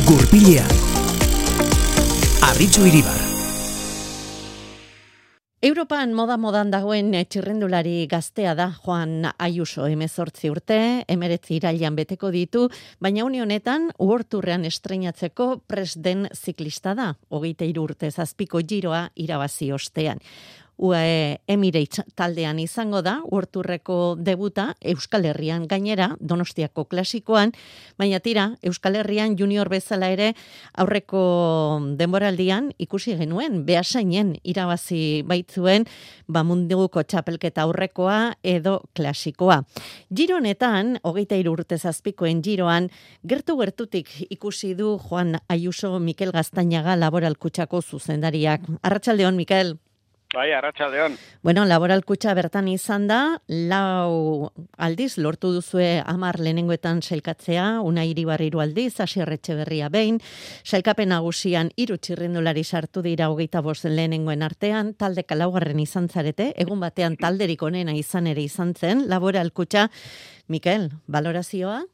Gurpilean. Arritxu Iribar. Europan modan dagoen txirrindulari gaztea da Juan Ayuso, 18 urte, 19 irailean beteko ditu, baina une honetan World Tourrean estreinatzeko prest den ziklista da, 23 urte zazpiko giroa irabazi ostean. UAE Emirates taldean izango da, World Tourreko debuta Euskal Herrian gainera, Donostiako klasikoan, baina tira, Euskal Herrian junior bezala ere aurreko denboraldian ikusi genuen, Beasainen irabazi baitzuen, munduko txapelketa aurrekoa edo klasikoa. Giro honetan, 23 urte zazpikoen giroan, gertutik ikusi du Juan Ayuso Mikel Gaztañaga Laboral Kutxako zuzendariak. Arratsaldeon, Mikel. Bai, arratsaldeon. Bueno, Laboral Kutxa bertan izan da, 4 aldiz lortu duzue 10 lehenengoetan sailkatzea, Unai Iribarri 3 aldiz, Asier Etxeberria behin, sailkapen nagusian 3 txirrindulari sartu dira 25 lehenengoen artean, taldeka 4. izan zarete, egun batean talderik onena izan ere izan zen, Laboral Kutxa. Mikel, valorazioa?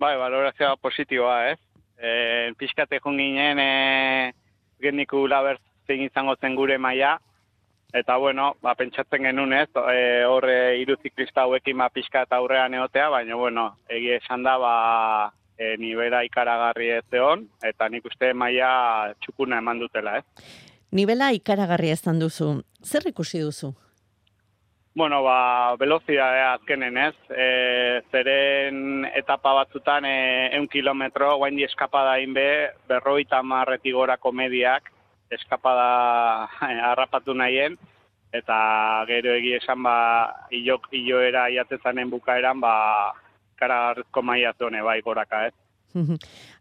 Bai, valorazioa positiboa, Pixkate joan ginen, gendiku labert zein izango zen gure maila, eta bueno, pentsatzen genuen horre 3 ziklista hauekin pixka eta aurrean egotea, baina bueno, egia esan da, nivela ikaragarri ez egon, eta nik uste maila txukuna eman dutela, Nivela ikaragarri ezan duzu, zer ikusi duzu? Bueno, velozidadea azkenen zeren etapa batzutan 100 kilometro, guain di eskapada inbe, 50 gorako mediak, eskapada harrapatu nahien, eta gero egia esan iloera jatezanen bukaeran, karagarrizko maila zone goraka,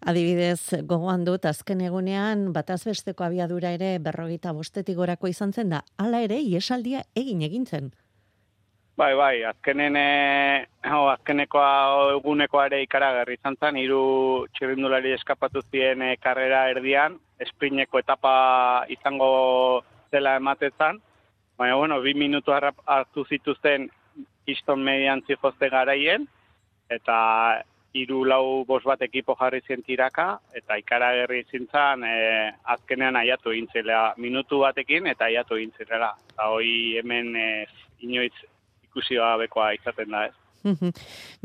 Adibidez, gogoan dut, azken egunean, bataz besteko abiadura ere 55 gorako izan zen da, hala ere, iesaldia egin zen. Bai, azkeneko egunekoa ere ikaragarri izan zen, 3 txirrindulari eskapatu ziren karrera erdian, esprineko etapa izango zela ematetan, baina, 2 minutu hartu zituzten kiston median zihozte garaien, eta 3-4 bat ekipo jarri zen tiraka, eta ikaragarri zintzen azkenean aiatu egintzela, minutu batekin eta aiatu egintzela. Eta hoi hemen inoiz ikusi gabekoa izaten da,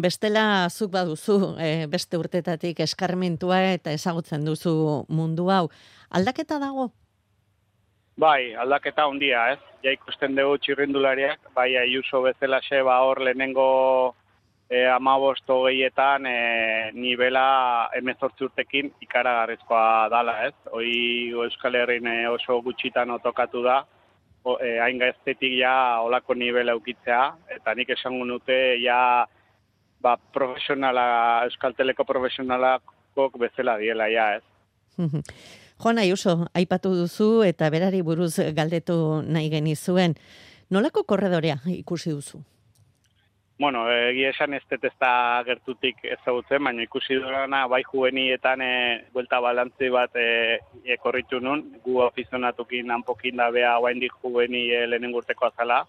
Bestela zuk baduzu, beste urtetatik eskarmentua eta ezagutzen duzu mundu hau. Aldaketa dago? Bai, aldaketa handia, Ja ikusten dugu txirrindulariak, bai Ayuso bezalaxe hor lehenengo 15-20etan nivela 18 urtekin ikaragarrizkoa dala, Hoi Euskal Herrin oso gutxitan otokatu da, hain gaztetik olako nivela eukitzea, eta nik esango nute profesionala, Euskalteleko profesionalakok bezala diela, Juan Ayuso, aipatu duzu eta berari buruz galdetu nahi genizuen. Nolako korredorea ikusi duzu? Bueno, egia esan ez da gertutik ezagutzen, baina ikusi durana bai juvenietan buelta balantzi bat korritu nun, gu afizionatukin hanpokin da beha guaindik juveni lehenengo urteko azala,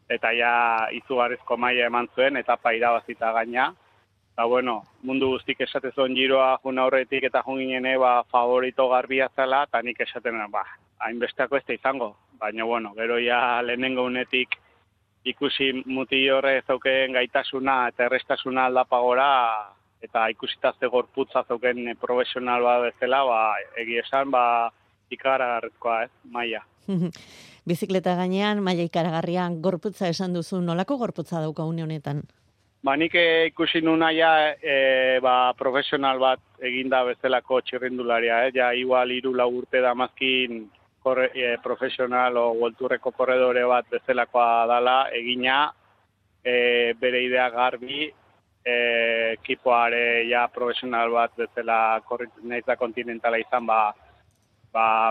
eta izugarrizko maila eman zuen, etapa irabazita gaina. Eta bueno, mundu guztik esatezon giroa jun aurretik eta jun ginen favorito garbia zela, eta nik esaten hainbesteako ez da izango. Baina bueno, gero lehenengo unetik ikusi muti horre zauken gaitasuna eta errestasuna aldapagora, eta ikusita ze gorputza zauken profesional bat bezala, egia esan, ikaragarrizkoa, maila. Bizikleta gainean, maila ikaragarrian gorputza esan duzu, nolako gorputza dauka une honetan? Nik ikusi nuna profesional bat eginda bezalako txirrindularia, igual 3-4 urte damazkin profesional o Worldturreko korredore bat bezalakoa dala, egina bere idea garbi, ekipoare profesional bat bezala nahiz da kontinentala izan,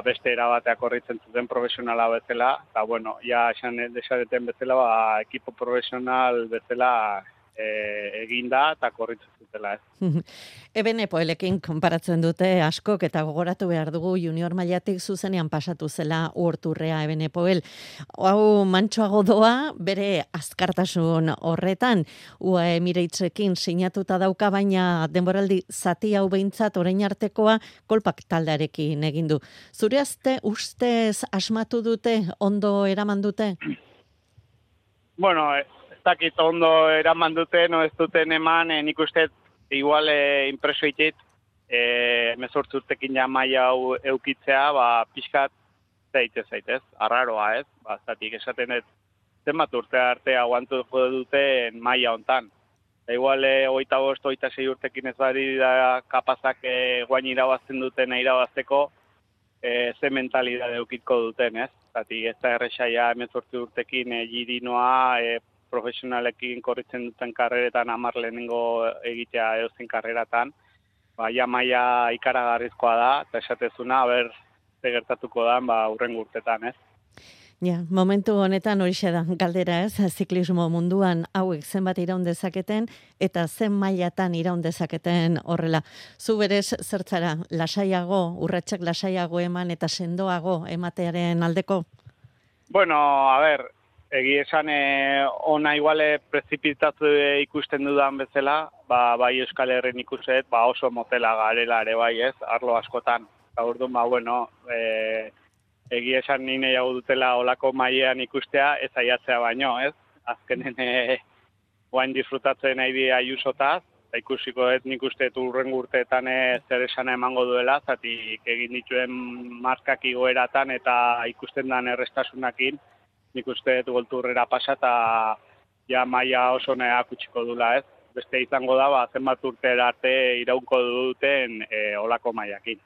beste erabatea korritzen zuten profesionala bezala, eta bueno, esan desareten bezala, ekipo profesional bezala eginda eta korritzen zutela, ez. Ebenepoelekin konparatzen dute askok eta gogoratu behar dugu junior mailatik zuzenean pasatu zela Uorturrea Ebenepoel. Hau mantsoago doa bere azkartasun horretan UAE Emiratzekin sinatuta dauka, baina denboraldi zati hau behintzat orain artekoa kolpak taldearekin egin du. Zure ustez asmatu dute, ondo eraman dute? Bueno, ez dakit ondo eraman dute, no ez duten eman, nik uste igual impreso itit, 18 urtekin ja maila hau eukitzea, pixkat zaitez, arraroa ez, zatik esaten dut, zenbat urte arte aguantuko duten maila hontan. Igual 25, 26 urtekin ez badi da kapazak guain irabazten duten irabazteko, ze mentalidade eukiko duten, ez? Zatik ez da errexaia 18 urtekin girinoa, profesionalekin korritzen duten karreretan 10 lehenengo egitea edozein karreratan, ja maila ikaragarrizkoa da, eta esatezuna, ze gertatuko da, hurrengo urtetan, ez? Ja, momentu honetan horixe da, galdera ez, ziklismo munduan hauek zenbat iraun dezaketen, eta zen mailatan iraun dezaketen horrela. Zu berez zertzara, lasaiago, urratsak lasaiago eman eta sendoago ematearen aldeko? Bueno, egi esan ona iguale prezipitatu ikusten dudan bezala, bai Euskal Herrin ikuset, oso motela garela ere bai ez, arlo askotan. Orduan, egi esan nire jau dutela olako mailean ikustea, ez aiatzea baino, ez? Azkenen guain disfrutatzen nahi di Ayusotaz, eta ikusiko ez nik uste urrengo urteetan zer esana emango duela, zatik egin dituen markak igoeratan eta ikusten dan errestasunakin, nik uste golturrera pasa eta ja maila oso neak utziko dula, ez? Beste izango da, zenbat urtera arte iraunko duten olako mailakin.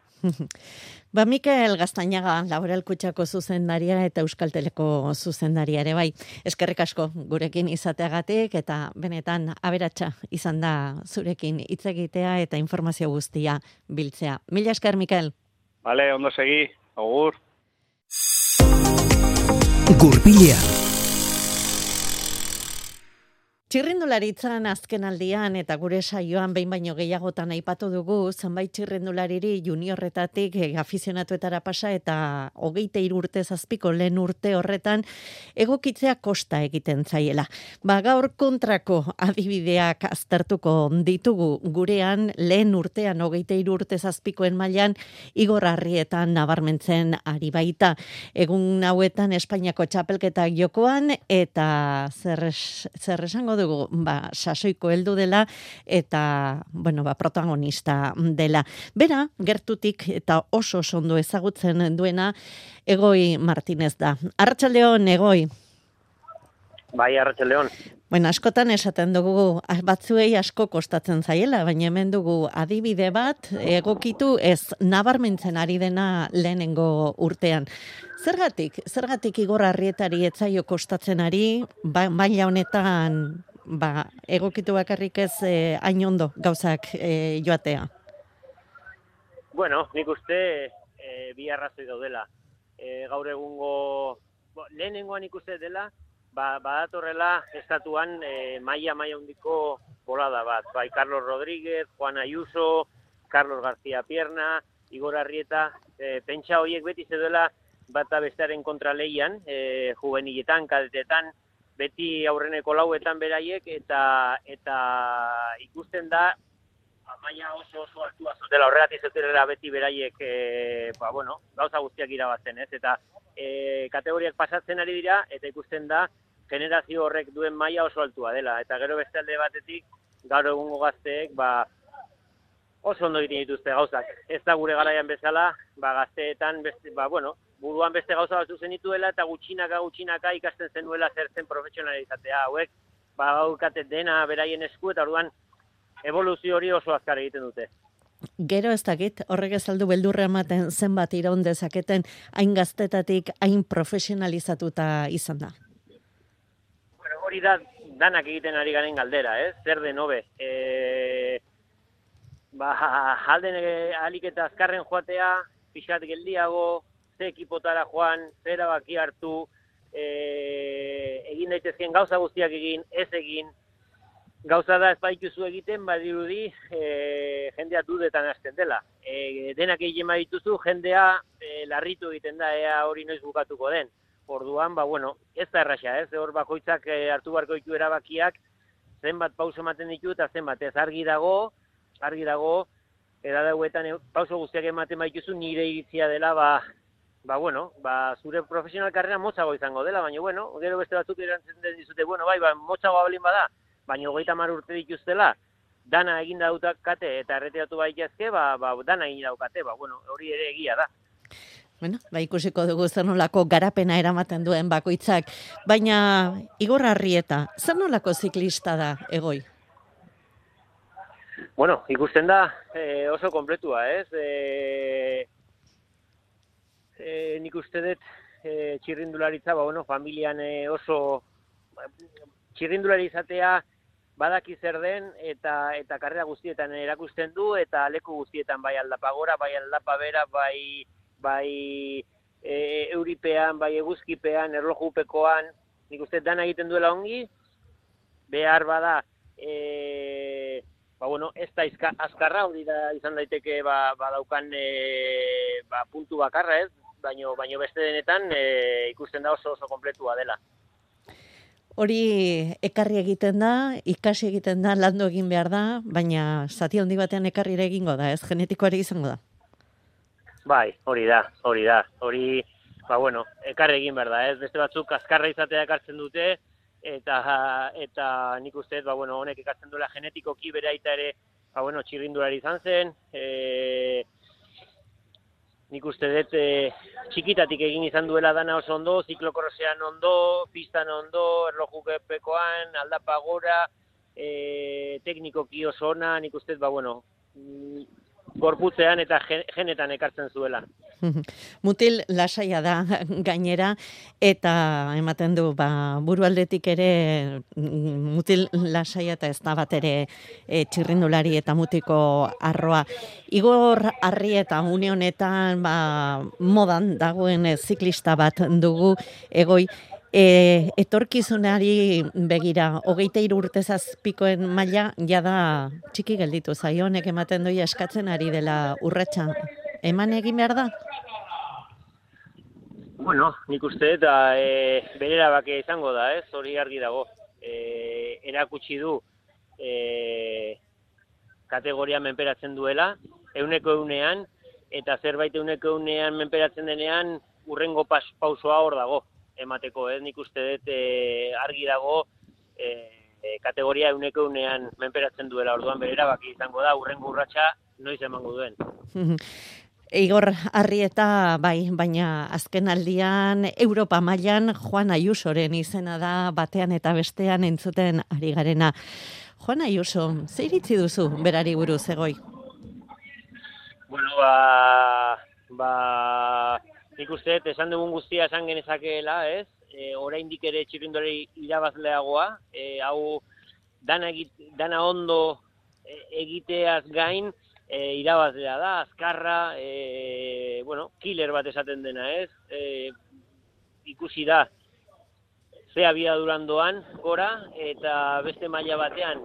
Mikel Gaztañaga, Laboral Kutxako zuzendaria eta Euskal Teleko zuzendaria ere bai. Eskerrik asko gurekin izateagatik eta benetan aberatsa izan da zurekin hitz egitea eta informazio guztia biltzea. Mila esker, Mikel. Vale, ondo segi. Agur. Gurpilea. Txirrindularitzan azken aldian eta gure saioan behin baino gehiagotan aipatu dugu, zenbait txirrindulariri juniorretatik afizionatuetara pasa eta 23 urte zazpiko lehen urte horretan egokitzea kosta egiten zaiela. Gaur kontrako adibideak aztertuko ditugu gurean lehen urtean 23 urte zazpikoen mailan Igor Arrietan nabarmentzen ari baita. Egun hauetan Espainiako txapelketak jokoan eta zer esango dugu, sasoiko heldu dela eta, protagonista dela. Bera, gertutik eta oso ondo ezagutzen duena Egoi Martinez da. Arratsaldeon, Egoi. Bai, arratsaldeon. Askotan esaten dugu, batzuei asko kostatzen zaiela, baina hemen dugu adibide bat, egokitu ez nabarmentzen ari dena lehenengo urtean. Zergatik Igor Arrietari etzaio kostatzen ari, maila honetan egokitu bakarrik ez hain ondo gauzak joatea? Bueno, nik uste bi arrazoi daudela. Gaur egungo, lehenengoan ikuste dela, badatorrela estatuan maila handiko bolada bat. Bai, Carlos Rodríguez, Juan Ayuso, Carlos García Pierna, Igor Arrieta, pentsa horiek beti zeudela bata bestearen kontraleian, juveniletan, kadetetan, beti aurreneko lauetan beraiek, eta ikusten da, maila oso altua zutela, horregatik zutela beti beraiek, gauza guztiak irabazten, ez? Eta kategoriak pasatzen ari dira, eta ikusten da, generazio horrek duen maila oso altua dela. Eta gero beste alde batetik, gaur egungo gazteek, oso ondo egiten dituzte gauzak. Ez da gure garaian bezala, gazteetan, buruan beste gauza batzu zenituela, eta gutxinaka ikasten zenuela zer zen profesionalizatea. Hauek, gaukate dena beraien esku, eta orduan evoluzio hori oso azkar egiten dute. Gero ez dakit, horrek ez aldu beldurra ematen zenbat iraun dezaketen hain gaztetatik, hain profesionalizatuta izan da. Bueno, hori da danak egiten ari garen galdera, zer den hobe. Alden alik eta azkarren joatea, pixat geldiago, ze ekipotara joan, ze erabaki hartu, egin daitezkeen gauza guztiak egin, ez egin, gauza da ez baituzu egiten, badirudi jendea dudetan hasten dela. Denak egin badituzu, jendea larritu egiten da, ea hori noiz bukatuko den. Orduan, ez da erraxa, ez? Hor bakoitzak hartu barko ditu erabakiak, zenbat pauso ematen ditu eta zenbat, ez argi dago, edadauetan pauso guztiak ematen badituzu nire iritzia dela, zure profesional karrera motzago izango dela, baina, gero beste batzuk erantzen dizute, motzago balin bada, baina 30 urte dituztela, dana egin daukate eta erretiratu baitazke, dana egin daukate, hori ere egia da. Ikusiko dugu zer nolako garapena eramaten duen bakoitzak, baina Igor Arrieta, zer nolako ziklista da Egoi? Ikusten da oso kompletua, ez? Nik uste dut txirrindularitza, familian oso txirrindulari izatea badaki zer den eta karrera guztietan erakusten du eta leku guztietan bai aldapa gora, bai aldapa bera, bai euripean, bai eguzkipean, erlojupekoan, nik uste dana egiten duela ongi, behar bada, ez da azkarra, hori da izan daiteke badaukan puntu bakarra ez, baino beste denetan ikusten da oso kompletua dela. Hori ekarri egiten da, ikasi egiten da, landu egin behar da, baina zati handi batean ekarri egingo da, ez? Genetikoari izango da. Bai, hori da. Hori, ekarri egin behar da, ez? Beste batzuk azkarra izatea ekartzen dute, eta nik uste, honek ekartzen duela genetikoki bere aita ere, txirrindulari izan zen, nik uste dut txikitatik egin izan duela dana oso ondo, ziklokorrosean ondo, pistan ondo, erlojupekoan, aldapa gora, teknikoki oso ona, nik uste dut, gorputzean eta genetan ekartzen zuela. Mutil lasaia da gainera, eta ematen du, burualdetik ere mutil lasaia eta ez da bat ere txirrindulari eta mutiko arroa. Igor Arrieta une honetan modan dagoen ziklista bat dugu Egoi, etorkizunari begira, 23 urte zazpikoen maila jada txiki gelditu zaio, honek ematen doia eskatzen ari dela urratsa. Eman egin behar da? Nik uste eta bere erabakia izango da, ez? Hori argi dago. Erakutsi du kategoria menperatzen duela, 100%, eta zerbait 100% menperatzen denean, urrengo pausoa hor dago emateko, nik uste dut argi dago kategoria 100% menperatzen duela, orduan bere erabaki izango da, urrengo urratsa noiz emango duen. Igor Arrieta baina azken aldian Europa mailan Juan Ayusoren izena da batean eta bestean entzuten ari garena. Juan Ayuso, ze iritzi duzu berari buruz Egoi? Nik uste, esan dugun guztia esan genezakeela, ez? Oraindik ere txirrindulari irabazleagoa, hau dana ondo egiteaz gain, irabazlea da, azkarra, killer bat esaten dena, ez? Ikusi da, ze abiaduran doan gora, eta beste maila batean,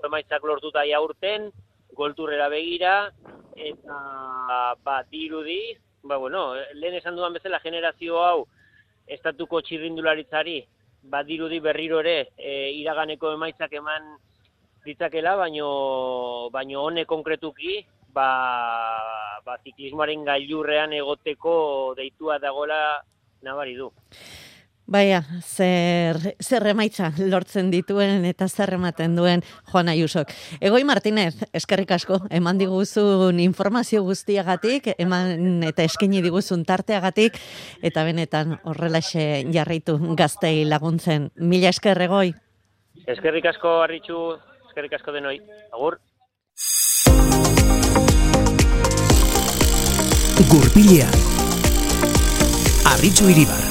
emaitzak lortuta jaurten, golturrera begira, eta dirudi, lehen esan dudan bezala generazio hau estatuko txirrindularitzari dirudi berriro ere iraganeko emaitzak eman ditzakela, baino honek konkretuki ziklismoaren gailurrean egoteko deitua dagoela nabari du. Baina, zer emaitza lortzen dituen eta zer ematen duen Juan Ayusok. Egoi Martinez, eskerrik asko, eman diguzun informazio guztiagatik, eman eta eskaini diguzun tarteagatik, eta benetan horrelaxe jarraitu gaztei laguntzen. Mila esker, Egoi. Eskerrik asko, Arritxu, eskerrik asko denoi. Agur. Gurpilea. Arritxu Iribar.